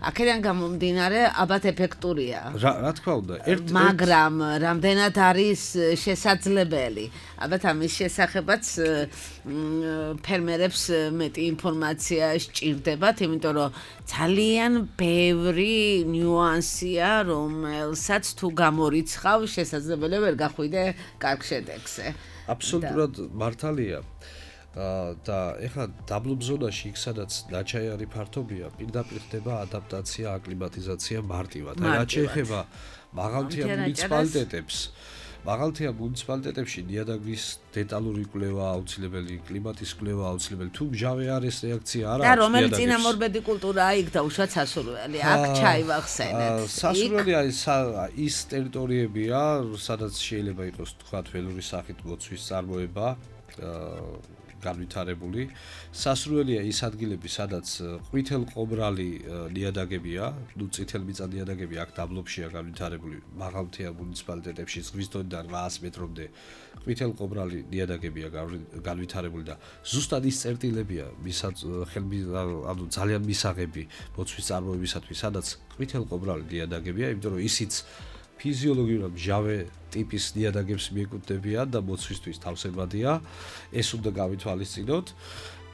აქედან გამომდინარე ალბათ ეფექტურია. რა თქმა უნდა, მაგრამ რამდენად არის შესაძლებელი? ალბათ ამის შესახებაც ფერმერებს მეტი ინფორმაცია სჭირდებათ, იმიტომ რომ ძალიან ბევრი ნიუანსია, რომელსაც თუ გამორიცხავ, შესაძლებელი ვერ გახვიდე კარგ შედეგზე. აბსოლუტურად მართალია. და ეხლა დაბლობ ზონაში იქ სადაც დაჩაიარი ფართობია, პირდაპირ ხდება ადაპტაცია, აკლიმატიზაცია მარტივად. აი რაც შეეხება მაღალმთიან მუნიციპალიტეტებს, მაღალმთიან მუნიციპალიტეტებში ნიადაგის დეტალური კვლევა აუცილებელი, კლიმატის კვლევა აუცილებელი. თუ მჟავე არის რეაქცია არ აქვს და რომელი წინამორბედი კულტურაა იქ და უშუალოდ სასურველი. აქ ჩაივახსენეთ. სასურველი არის ის ტერიტორიებია, სადაც შეიძლება იყოს თქვათ ველური სახით მოცვის წარმოება, განვითარებული. სასურველია ის ადგილები, სადაც ყვითელყობრალი ნიადაგებია, ნუ წითელმიწა ნიადაგები აქ დაბლობშია განვითარებული, მაღალმთიან მუნიციპალიტეტებში ზღვის დონიდან 800 მეტრამდე ყვითელყობრალი ნიადაგებია განვითარებული და ზუსტად ის წერტილებია, ანუ ძალიან მისაღები მოცვის წარმოებისათვის, სადაც ყვითელყობრალი ნიადაგებია, იმიტომ რომ ისიც ფიზიოლოგიურად მჟავე ტიპის ნიადაგებს მიეკუთვნებიან და მოცვისთვის თავსებადია, ეს უნდა გავითვალისწინოთ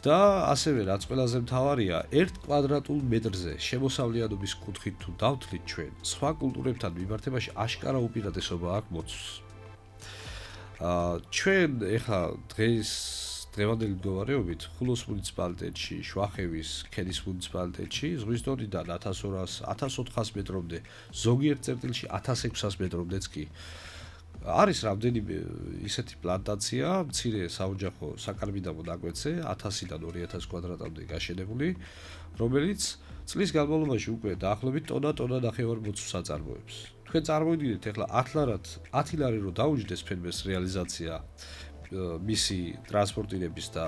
და ასევე რაც ყველაზე მთავარია, 1 კვადრატულ მეტრზე შემოსავლიანობის კუთხით თუ დავთვლით ჩვენ, სხვა კულტურებთან მიმართებაში აშკარა უპირატესობა აქვს მოცვს. ჩვენ ეხლა დღევანდელი მდგომარეობით ხულოს მუნიციპალიტეტში, შვახევის ქედის მუნიციპალიტეტში ზღვის დონიდან 1200-1400 მეტრამდე, ზოგიერთ წერტილში 1600 მეტრომდეც კი არის რამდენიმე ისეთი პლანტაცია, მცირე საოჯახო საკარბიდამო ნაკვეთზე 1000-დან 2000 კვადრატამდე გაშენებული, რომელიც წლის განმავლობაში უკვე დაახლოებით ტონა ნახევარ მოცვს აწარმოებს. თქვენ წარმოიდგინეთ, ახლა 10 ლარი რო დაუჯდეს ფერმერს რეალიზაცია მისი ტრანსპორტირების და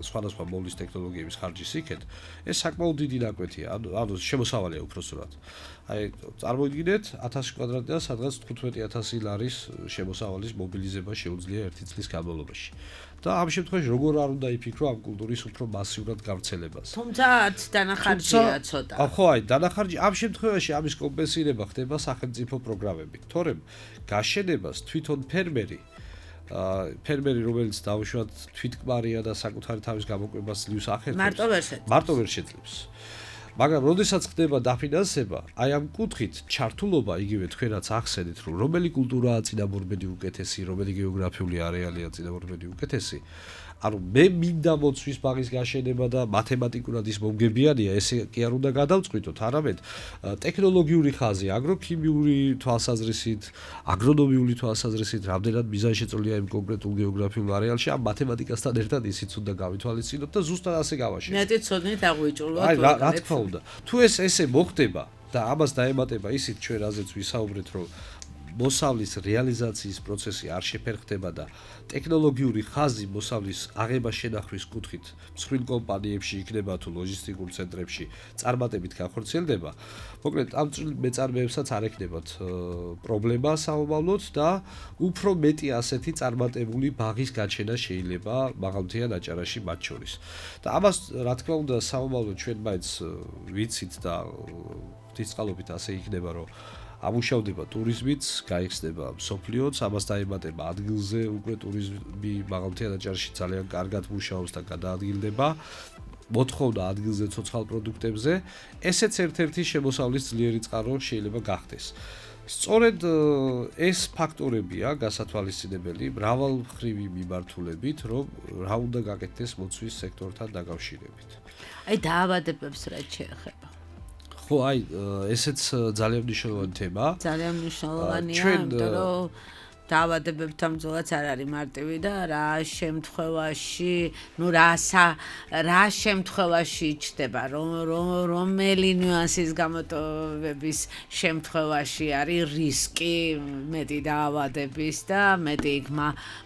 სხვადასხვა მოვლის ტექნოლოგიების ხარჯის იქეთ, ეს საკმაოდ დიდი ნაკვეთია, ანუ შემოსავალია უпроსტად. აი, წარმოიდგინეთ 1000 კვადრატიდან სადღაც 15000 ლარის შემოსავალის მობილიზება შეუძლია ერთი წლის განმავლობაში. და ამ შემთხვევაში როგორ არ უნდა იფიქრო ამ კულტურის უფრო მასიურად გავრცელებას. თუმცა არც დანახარჯია ცოტა. ხო, აი, დანახარჯი ამ შემთხვევაში ამის კომპენსირება ხდება სახელმწიფო პროგრამებით. თორემ გაშენებას თვითონ ფერმერი, რომელიც დაუშვათ თვითკმარია და საკუთარი თავის გამოკვებას ძლივს ახერხებს, მარტო ვერ შეძლებს. მაგრამ როდესაც ხდება დაფინანსება, აი ამ კუთხით ჩართულობა იგივე თქვენ რაც ახსენეთ, რომ რომელი კულტურაა წინამორბედი უკეთესი, რომელი გეოგრაფიული არეალია წინამორბედი უკეთესი, ანუ მე მინდა მოცვის ბაღის გაშენება და მათემატიკურად ის მომგებიანია, ესე კი არ უნდა გადავწყვიტოთ, არამედ ტექნოლოგიური ხაზი, აგროქიმიური თვალსაზრისით, აგრონომიული თვალსაზრისით, რამდენად მიზანშეწონილია იმ კონკრეტულ გეოგრაფიულ არეალში, ამ მათემატიკასთან ერთად ისიც უნდა გავითვალისწინოთ და ზუსტად ასე გავაშენოთ. მეტი ცოდნით აღვიჭრულად. აი, რა თქმა უნდა. თუ ესე მოხდება და ამას დაემატება ისიც ჩვენ რაზეც ვისაუბრეთ, რომ მოსავლის რეალიზაციის პროცესი არ შეფერხდება და ტექნოლოგიური ხაზი მოსავლის აღება შენახვის კუთხით მსხვილ კომპანიებში იქნება თუ ლოჯისტიკურ ცენტრებში წარმატებით განხორციელდება, მოკლედ ამ მეწარმეებსაც არ ექნებათ პრობლემა საომავლოდ და უფრო მეტი ასეთი წარმატებული ბაღის გაჩენა შეიძლება მაღალმთიან აჭარაში მათ შორის. და ამას რა თქმა უნდა საომავლოდ ჩვენ მაინც ვიცით და ღვთისწყალობით ასე იქნება, რომ ამუშავდება ტურიზმიც, გაიხსნება მსოფლიოც, ამას დაემატება ადგილზე უკვე ტურიზმი მაღალმთიან აჭარაში ძალიან კარგად მუშაობს და გადაადგილდება. მოთხოვნა ადგილზე ცოცხალ პროდუქტებზე, ესეც ერთ-ერთი შემოსავლის ძლიერი წყარო შეიძლება გახდეს. სწორედ ეს ფაქტორებია გასათვალისწინებელი მრავალმხრივი მიმართულებით, რომ რა უნდა გაკეთდეს მოცვის სექტორთან დაკავშირებით. აი დაავადებებს რაც შეეხება. ხო, აი, ესეც ძალიან მნიშვნელოვანი თემაა. ძალიან მნიშვნელოვანია, იმიტომ რომ დაავადებებთან ბრძოლაც არ არის მარტივი და რა შემთხვევაში ჩდება, რომელი ნიუანსის გამოტოვების შემთხვევაში არის რისკი მეტი დაავადების და მეტი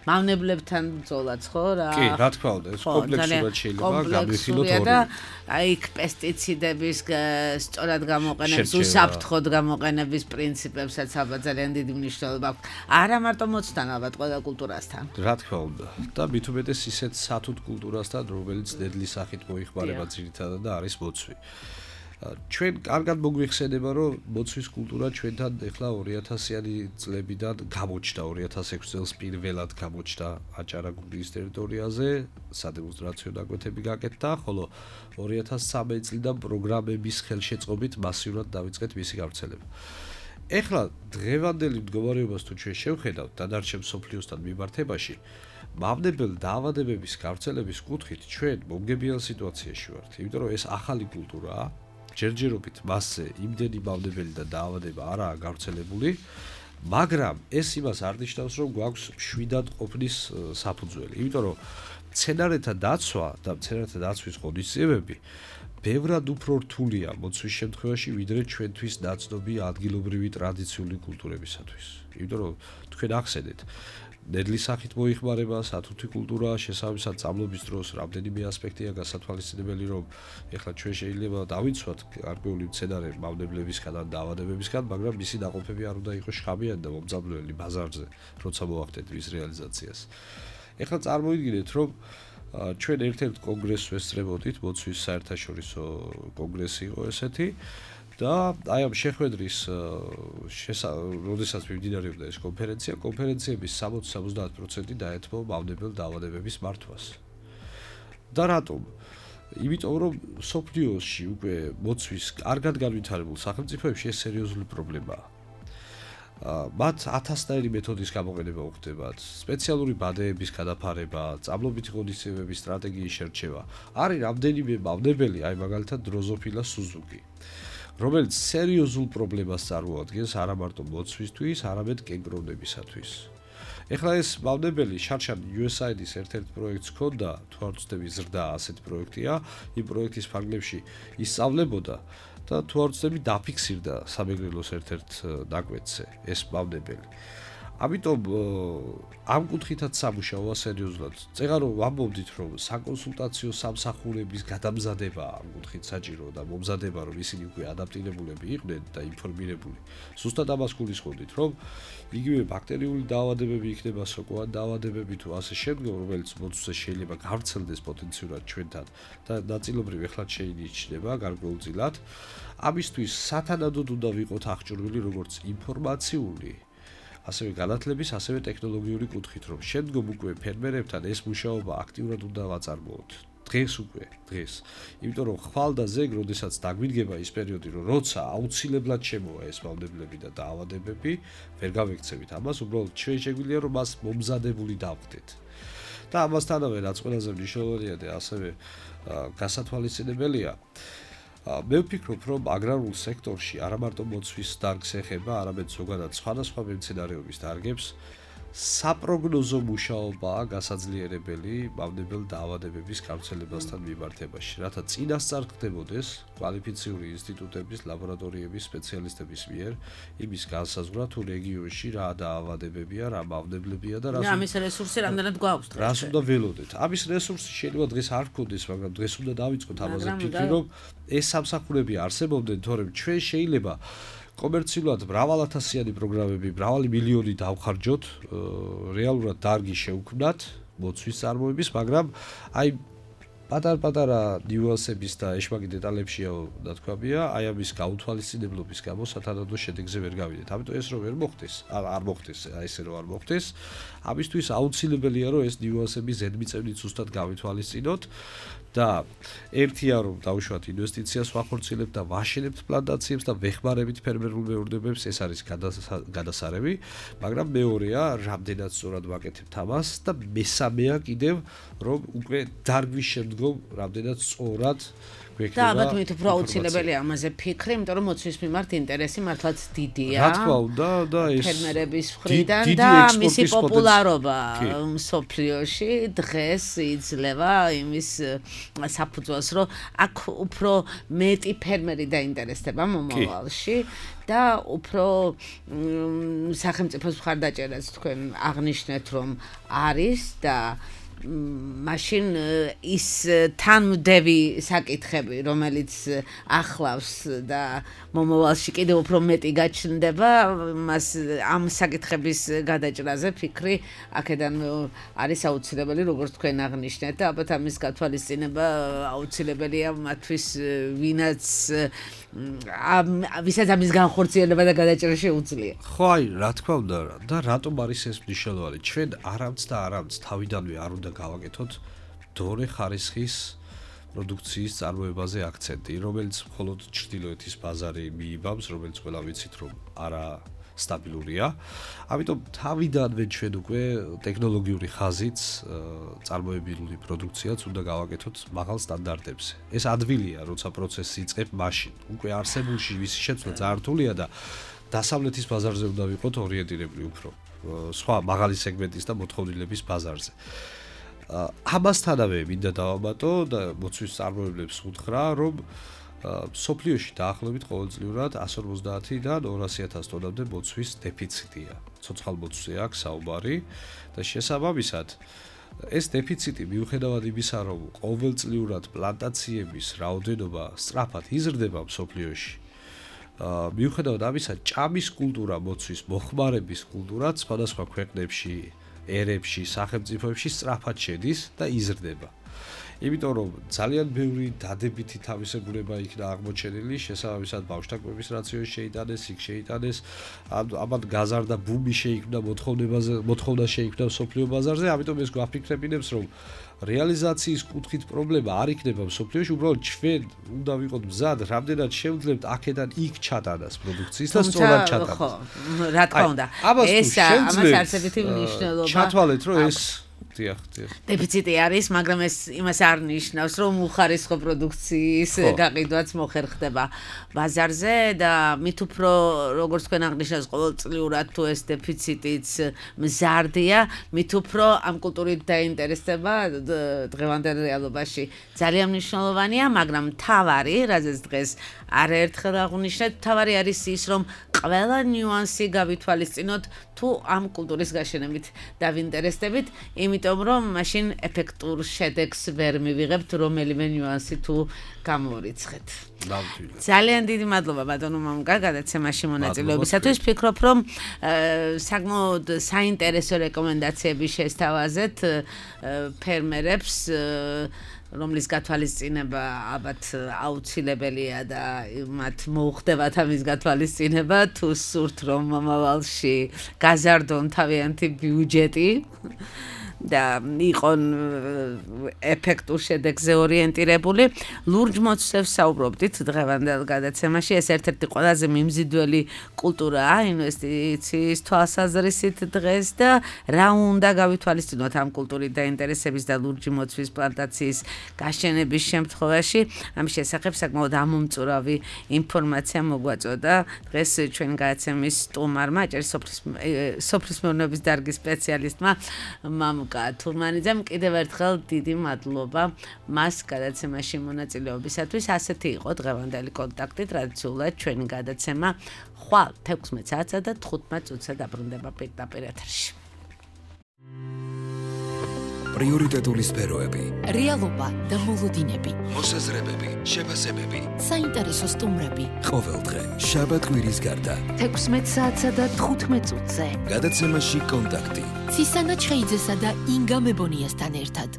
მავნებლებთან ბრძოლაც, ხო რა? კი, რა თქმა უნდა, ეს კომპლექსურად შეიძლება გამიხილოთ ორივე. აი, პესტიციდების სწორად გამოყენების, უსაფრთხოდ გამოყენების პრინციპებსაც ალბათ ძალიან დიდი მნიშვნელობა აქვს. არა მარტო მოცთან, ალბათ ყველა კულტურასთან. რა თქმა უნდა. და მით უმეტეს ისეთ სათუთ კულტურასთან, რომელიც დედლის სახით მოიხმარება ძირითადად და არის მოცვი. ჩვენ კარგად მოგვიხსენება, რომ მოცვის კულტურა ჩვენთან ეხლა 2000-იანი წლებიდან გამოჩნდა, 2006 წელს პირველად გამოჩნდა აჭარა-გურიის ტერიტორიაზე, სადემონსტრაციო ნაკვეთები გაკეთდა, ხოლო 2013 წლიდან პროგრამების ხელშეწყობით მასიურად დაიწყეთ მისი გავრცელება. ეხლა დღევანდელი მდგომარეობას თუ ჩვენ შევხედავთ დანარჩენ მსოფლიოსთან მიმართებაში, მავნებელ დაავადებების გავრცელების კუთხით ჩვენ მომგებიან სიტუაციაში ვართ, იმიტომ რომ ეს ახალი კულტურაა, ჯერჯერობით მასზე იმდენი მავნებელი და დაავადება არაა გავრცელებული, მაგრამ ეს იმას არ ნიშნავს, რომ გვაქვს მშვიდად ყოფნის საფუძველი, იმიტომ რომ მცენარეთა დაცვა და მცენარეთა დაცვის ღონისძიებები ბევრად უფრო რთულია მოცვის შემთხვევაში, ვიდრე ჩვენთვის ნაცნობი ადგილობრივი ტრადიციული კულტურებისათვის. იმიტომ რომ თქვენ ახსენეთ, ნედლის სახით მოიხმარება, სათუთი კულტურა, შესაბამისად წამლობის დროს რამდენიმე ასპექტია გასათვალისწინებელი, რომ ეხლა ჩვენ შეიძლება დავიცვათ გარკვეული მცენარე მავნებლებისგან და დაავადებებისგან, მაგრამ მისი დაყოფები არ უნდა იყოს შხამიანი და მომძაბლველი ბაზარზე, როცა მოახდეთ მის რეალიზაციას. ეხლა წარმოიდგინეთ, რომ ჩვენ ერთ-ერთ კონგრესს ვესწრებოდით, მოცვის საერთაშორისო კონგრესი იყო ესეთი და აი ამ შეხვედრის როდესაც მიმდინარეობდა ეს კონფერენციების 60-70% დაეთმო მავნებელ დაავადებების მართვას. და რატომ? იმიტომ რომ სოფლიოში უკვე მოცვის კარგად განვითარებულ სახელმწიფოებში ეს სერიოზული პრობლემაა. მათ 1000-ნაირი მეთოდის გამოყენება უხდებათ, სპეციალური ბადეების გადაფარება, წამლობითი ღონისძიებების სტრატეგიის შერჩევა. არის რამდენიმე მავნებელი, აი მაგალითად დროზოფილა სუზუკი, რომელიც სერიოზულ პრობლემას წარმოადგენს არა მარტო მოცვისთვის, არამედ კენკროვნებისათვის. ეხლა ეს მავნებელი შარშან USAID-ის ერთ-ერთ პროექტს ჰქონდა, თუ არ ვცდები ზრდა ასეთი პროექტია, იმ პროექტის ფარგლებში ისწავლებოდა და თუ არ ვცდები დაფიქსირდა სამეგრელოს ერთ-ერთ ნაკვეთზე ეს მავნებელი. ამიტომ ამ კუთხითაც სამუშაოა სერიოზულად. წეგარო ვამბობდით, რომ საკონსულტაციო სამსახურების გადამზადება ამ კუთხით საჭირო და მომზადება, რომ ისინი უკვე ადაპტირებულები იყვნენ და ინფორმირებული. ზუსტად ამას გულისხმობდით, რომ იგივე ბაქტერიული დაავადებები იქნება, სოკოვანი დაავადებები თუ ასე შემდგომ, რომელიც მოცვზე შეიძლება გავრცელდეს პოტენციურად ჩვენთან და ნაწილობრივ ეხლა შეინიშნება გარკვეულწილად. ამისთვის სათანადოდ უნდა ვიყოთ აღჭურვილი როგორც ინფორმაციული ასევე განათლების, ასევე ტექნოლოგიური კუთხით, რომ შემდგომ უკვე ფერმერებთან ეს მუშაობა აქტიურად უნდა ვაწარმოოთ. დღეს. იმიტომ რომ ხვალ და ზეგ, როდესაც დაგვიდგება ის პერიოდი, რომ როცა აუცილებლად შემოვა ეს მავნებლები და დაავადებები, ვერ გავექცევით ამას, უბრალოდ ჩვენ შეგვიძლია რომ მას მომზადებული დავხდეთ. და ამასთანავე რაც ყველაზე მნიშვნელოვანია და ასევე გასათვალისწინებელია, მე ვფიქრობ, რომ აგრარულ სექტორში არა მარტო მოცვის დარგს ეხება, არამედ ზოგადად სხვადასხვა მემცენარეობის დარგებს საპროგნოზო მუშაობაა გასაძლიერებელი მავნებელ დაავადებების გავრცელებასთან მიმართებაში, რათა წინასწარ ხდებოდეს კვალიფიციური ინსტიტუტების, ლაბორატორიების სპეციალისტების მიერ იმის განსაზღვრა, თუ რეგიონში რა დაავადებებია, რა მავნებლებია და ამის რესურსი რამდენად გვაქვს დღეს. რას უნდა ველოდეთ? ამის რესურსი შეიძლება დღეს არ გქონდეს, მაგრამ დღეს უნდა დავიწყოთ ამაზე ფიქრი, რომ ეს სამსახურები არსებობდნენ, თორემ ჩვენ შეიძლება კომერციულად მრავალათასიანი პროგრამები, მრავალი მილიონი დავხარჯოთ, რეალურად დარგი შევქმნათ მოცვის წარმოების, მაგრამ აი პატარ-პატარა ნიუანსების და ეშმაკი დეტალებშია და თქვამია, აი ამის გაუთვალისწინებლობის გამო სათანადო შედეგზე ვერ გავიდეთ. ამიტომ ეს რომ ვერ მოხდეს, არ მოხდეს, აი ესე რომ არ მოხდეს, ამისთვის აუცილებელია რომ ეს ნიუანსები ზედმიწევნით ზუსტად გავითვალისწინოთ. და ერთია რომ დავუშვათ ინვესტიციას ვახორციელებთ და ვაშენებთ პლანტაციებს და ვეხმარებით ფერმერულ მეურნეობებს, ეს არის გადასარევი, მაგრამ მეორეა რამდენად სწორად ვაკეთებთ ამას და მესამეა კიდევ რომ უკვე დარგვის შემდგომ რამდენად სწორად და ალბათ მით უფრო აუცილებელია ამაზე ფიქრი, იმიტომ რომ მოცვის მიმართ ინტერესი მართლაც დიდია. რა თქმა უნდა და ეს ფერმერების მხრიდან და მისი პოპულარობა მსოფლიოში დღეს იძლევა იმის საფუძველს, რომ აქ უფრო მეტი ფერმერი დაინტერესდება მომავალში და უფრო სახელმწიფოს მხარდაჭერაც თქვენ აღნიშნეთ, რომ არის და მაშინ ის თანმდევი საკითხები, რომელიც ახლავს და მომავალში კიდევ უფრო მეტი გაჩნდება, მას ამ საკითხების გადაჭრაზე ფიქრი აქედან არის აუცილებელი, როგორც თქვენ აღნიშნეთ და ალბათ ამის გათვალისწინება აუცილებელია მათთვის, ვისაც ამის განხორციელება და გადაჭრა შეუძლია. ხო, აი, რა თქმა უნდა და რატომ არის ეს მნიშვნელოვანი? ჩვენ არამც თავიდანვე არ უნდა გავაკეთოთ დორე ხარისხის პროდუქციის წარმოებაზე აქცენტი, რომელიც მხოლოდ ჩრდილოეთის ბაზარი მიიბამს, რომელიც ყველა ვიცით, რომ არა სტაბილურია. ამიტომ თავიდანვე ჩვენ უკვე ტექნოლოგიური ხაზით წარმოებილი პროდუქციაც უნდა გავაკეთოთ მაღალ სტანდარტებზე. ეს ადვილია, როცა პროცესი იწყებ მაშინ. უკვე არსებულში ვისი შეცვლა ძალიან რთულია და დასავლეთის ბაზარზე უნდა ვიყოთ ორიენტირებული უფრო სხვა მაღალი სეგმენტის და მოთხოვნილების ბაზარზე. ამასთანავე მინდა დავამატო და მოცვის წარმოებლებს ვუთხრა, რომ სოფლიოში დაახლოებით ყოველწლიურად 150-დან 200,000 ტონამდე მოცვის დეფიციტია. ცოცხალ მოცვზე აქვს საუბარი და შესაბამისად ეს დეფიციტი მიუხედავად იმისა, რომ ყოველწლიურად პლანტაციების რაოდენობა სწრაფად იზრდება სოფლიოში, მიუხედავად ამისა, ჭამის კულტურა, მოცვის მოხმარების კულტურა სხვადასხვა ქვეყნებში, ერებში, სახელმწიფოებში სწრაფად შედის და იზრდება. იმიტომ რომ ძალიან ბევრი დადებითი თავისებურება იქნა აღმოჩენილი, შესაბამისად ბავშვთაკვების რაციონი შეიტანეს, იქ შეიტანეს, ამათ გაზარდა ბუმი შეიქმნა, მოთხოვნა შეიქმნა სოფლიო ბაზარზე, ამიტომ ეს გვაფიქრებინებს, რომ რეალიზაციის კუთხით პრობლემა არ იქნება სოფლიოში, უბრალოდ ჩვენ უნდა ვიყოთ მზად, რამდენად შევძლებთ აქედან იქ ჩატანას პროდუქციის და სწორად ჩატანას. ხო, რა თქმა უნდა. ეს ამას არსებითი მნიშვნელობა. ჩათვალეთ, რომ ეს დიახ. დეფიციტი არის, მაგრამ ეს იმას არ ნიშნავს, რომ უხარისხო პროდუქციის გაყიდვაც მოხერხდება ბაზარზე და მით უფრო როგორც თქვენ აღნიშნავს, ყოველწლიურად თუ ეს დეფიციტიც მზარდია, მით უფრო ამ კულტურით დაინტერესება დღევანდელ რეალობაში ძალიან მნიშვნელოვანია, მაგრამ თავარი, რაზეც დღეს არაერთხელ აღვნიშნეთ, თავარი არის ის, რომ ყველა ნიუანსი გავითვალისწინოთ თუ ამ კულტურის გაშენებით დავინტერესდებით, იმიტომ რომ მაშინ ეფექტურ შედეგს ვერ მივიღებთ, რომელიმე ნიუანსი თუ გამოვირიცხეთ. ძალიან დიდი მადლობა ბატონო მამუკა გადაცემაში მონაწილეობისათვის. ვფიქრობ, რომ საკმაოდ საინტერესო რეკომენდაციები შესთავაზეთ ფერმერებს, რომლის გათვალისწინება ალბათ აუცილებელია და მათ მოუხდებათ ამის გათვალისწინება, თუ სურთ რომ მომავალში გაზარდონ თავიანთი ბიუჯეტი და იყონ ეფექტურ შედეგზე ორიენტირებული. ლურჯ მოცვებს საუბრობდით დღევანდელ გადაცემაში. ეს ერთ-ერთი ყველაზე მიმზიდველი კულტურაა ინვესტიციის თვალსაზრისით დღეს და რა უნდა გავითვალისწინოთ ამ კულტურით დაინტერესების და ლურჯი მოცვის პლანტაციის გაშენების შემთხვევაში. ამის შესახებ საკმაოდ ამომწურავი ინფორმაცია მოგვაწოდა დღეს ჩვენი გადაცემის სტუმარმა, სოფლის მეურნეობის დარგის სპეციალისტმა თურმანიძემ. კიდევ ერთხელ დიდი მადლობა მას გადაცემაში მონაწილეობისათვის. ასეთი იყო დღევანდელი კონტაქტი. ტრადიციულად ჩვენი გადაცემა ხვალ 16 საათსა და 15 წუთზე დაბრუნდება პირდაპირ ეთერში. პრიორიტეტული სფეროები, რეალობა და მოლოდინები, მოსაზრებები, შეფასებები, საინტერესო სტუმრები. ყოველდღე შაბათ-კვირის გარდა 16 საათსა და 15 წუთზე. გადაცემაში კონტაქტი. ცისანა ჩხეიძესა და ინგა მებონიასთან ერთად.